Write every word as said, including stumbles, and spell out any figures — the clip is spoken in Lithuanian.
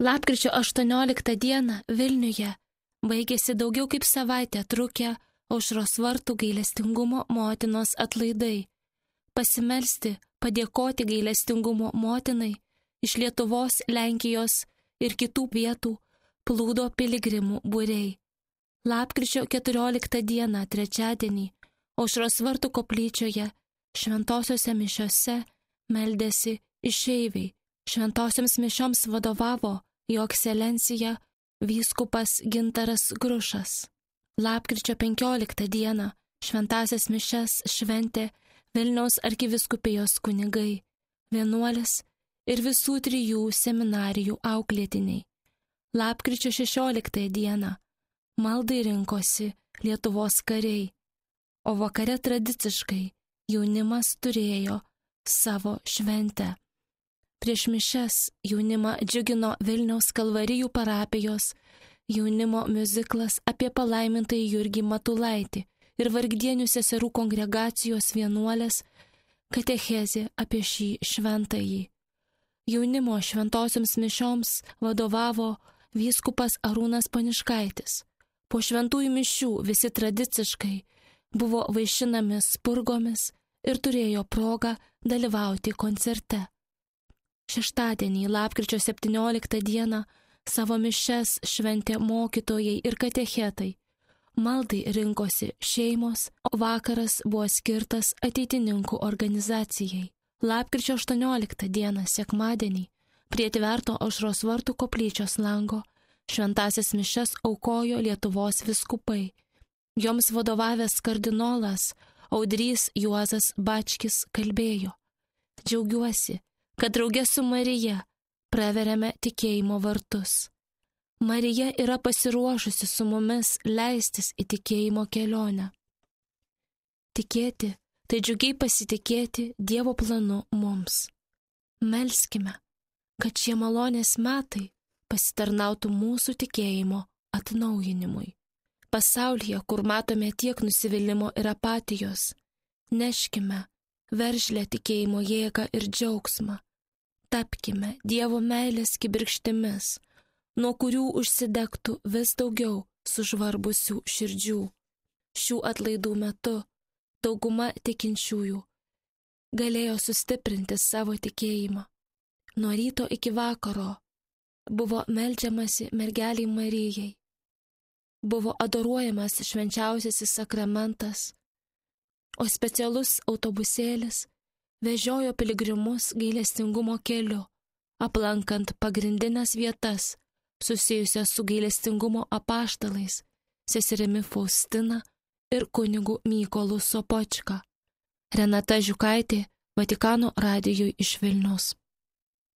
Lapkričio aštuonioliktą dieną Vilniuje baigėsi daugiau kaip savaitę trukę Aušros vartų gailestingumo motinos atlaidai. Pasimelsti, padėkoti gailestingumo motinai iš Lietuvos, Lenkijos ir kitų vietų plūdo piligrimų būriai. Lapkričio keturioliktą dieną trečiadienį Aušros vartų koplyčioje šventosiose mišiose meldėsi išeiviai. Šventosioms mišioms vadovavo Jo ekscelencija vyskupas Gintaras Grušas. Lapkričio penkioliktą dieną šventasias mišias šventė Vilniaus arkivyskupijos kunigai, vienuolis ir visų trijų seminarijų auklėtiniai. Lapkričio šešioliktą dieną maldai rinkosi Lietuvos kariai, o vakare tradiciškai jaunimas turėjo savo šventę. Prieš mišias jaunimą džiugino Vilniaus Kalvarijų parapijos jaunimo miuziklas apie palaimintąjį Jurgį Matulaitį ir vargdienių seserų kongregacijos vienuolės katechezė apie šį šventąjį. Jaunimo šventosioms mišioms vadovavo vyskupas Arūnas Poniškaitis. Po šventųjų mišių visi tradiciškai buvo vaišinami spurgomis ir turėjo progą dalyvauti koncerte. Šeštadienį, lapkričio septynioliktą dieną, savo mišias šventė mokytojai ir katechetai. Maldai rinkosi šeimos, o vakaras buvo skirtas ateitininkų organizacijai. Lapkričio aštuonioliktą dieną, sekmadienį, prie tverto Aušros vartų koplyčios lango šventasias mišias aukojo Lietuvos vyskupai. Joms vadovavęs kardinolas Audrys Juozas Bačkis kalbėjo: Džiaugiuosi, kad drauge su Marija praveriame tikėjimo vartus. Marija yra pasiruošusi su mumis leistis į tikėjimo kelionę. Tikėti, tai džiugiai pasitikėti Dievo planu mums. Melskime, kad šie malonės metai pasitarnautų mūsų tikėjimo atnaujinimui. Pasaulyje, kur matome tiek nusivylimų ir apatijos, neškime veržlę tikėjimo jėgą ir džiaugsmą. Tapkime Dievo meilės kibirkštimis, nuo kurių užsidegtų vis daugiau sužvarbusių širdžių. Šių atlaidų metu dauguma tikinčiųjų galėjo sustiprinti savo tikėjimą. Nuo ryto iki vakaro buvo meldžiamasi mergeliai Marijai, buvo adoruojamas švenčiausiasis sakramentas, o specialus autobusėlis vežiojo piligrimus gailestingumo keliu, aplankant pagrindinės vietas susijusias su gailestingumo apaštalais, seserimi Faustina ir kunigu Mykolu Sopočka. Renata Žiukaitė, Vatikano radijui iš Vilniaus.